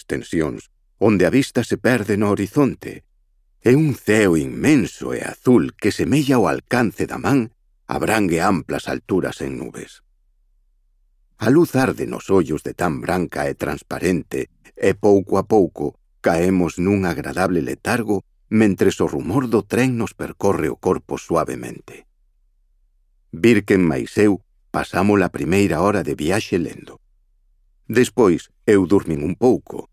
extensións, onde a vista se perde no horizonte, e un ceo inmenso e azul que semella ao alcance da man abrangue amplas alturas en nubes. A luz arde nos ollos de tan branca e transparente, e pouco a pouco caemos nun agradable letargo mentres o rumor do tren nos percorre o corpo suavemente. Birken máis eu pasamos a primeira hora de viaxe lendo. Despois eu durmin un pouco,